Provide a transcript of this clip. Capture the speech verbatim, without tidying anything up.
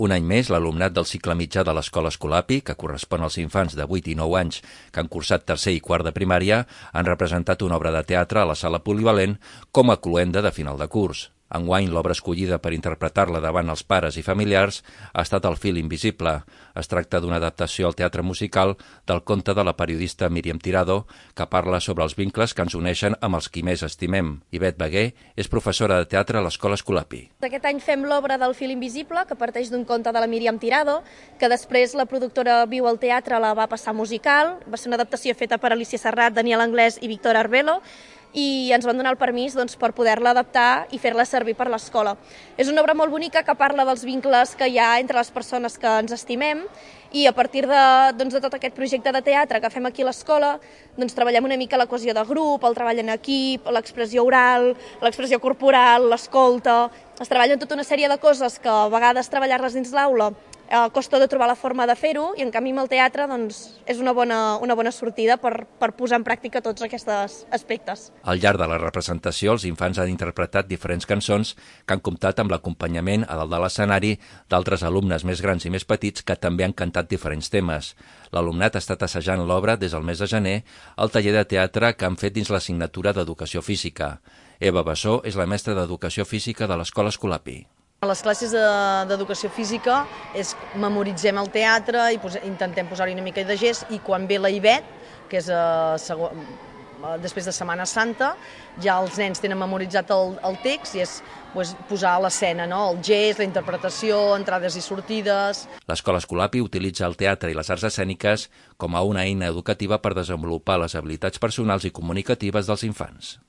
Un any més, l'alumnat del cicle mitjà de l'Escola Escolapi, que correspon als infants de vuit i nou anys que han cursat tercer i quart de primària, han representat una obra de teatre a la sala polivalent com a cloenda de final de curs. Enguany, l'obra escollida per interpretar-la davant els pares i familiars ha estat El fil invisible. Es tracta d'una adaptació al teatre musical del conte de la periodista Míriam Tirado, que parla sobre els vincles que ens uneixen amb els qui més estimem. Ivet Beguer és professora de teatre a l'Escola Escolapi. Aquest any fem l'obra del fil invisible, que parteix d'un conte de la Míriam Tirado, que després la productora Viu al Teatre la va passar musical. Va ser una adaptació feta per Alicia Serrat, Daniel Anglès i Víctor Arbelo, i ens van donar el permís doncs, per poder-la adaptar i fer-la servir per l'escola. És una obra molt bonica que parla dels vincles que hi ha entre les persones que ens estimem, i a partir de, doncs, de tot aquest projecte de teatre que fem aquí a l'escola, doncs, treballem una mica la cohesió de grup, el treball en equip, l'expressió oral, l'expressió corporal, l'escolta. Es treballen tota una sèrie de coses que a vegades treballar-les dins l'aula Eh, costa de trobar la forma de fer-ho, i en canvi amb el teatre doncs, és una bona, una bona sortida per, per posar en pràctica tots aquests aspectes. Al llarg de la representació, els infants han interpretat diferents cançons que han comptat amb l'acompanyament a dalt de l'escenari d'altres alumnes més grans i més petits que també han cantat diferents temes. L'alumnat ha estat assajant l'obra des del mes de gener al taller de teatre que han fet dins l'assignatura d'Educació Física. Eva Bassó és la mestra d'Educació Física de l'Escola Escolapi. A les classes d'educació física és memoritzem el teatre i pos intentem posar-hi una mica de gest, i quan ve la Ivet, que és a, a, després de Setmana Santa, ja els nens tenen memoritzat el, el text i és pues, posar a l'escena, no? El gest, la interpretació, entrades i sortides. L'Escola Escolapi utilitza el teatre i les arts escèniques com a una eina educativa per desenvolupar les habilitats personals i comunicatives dels infants.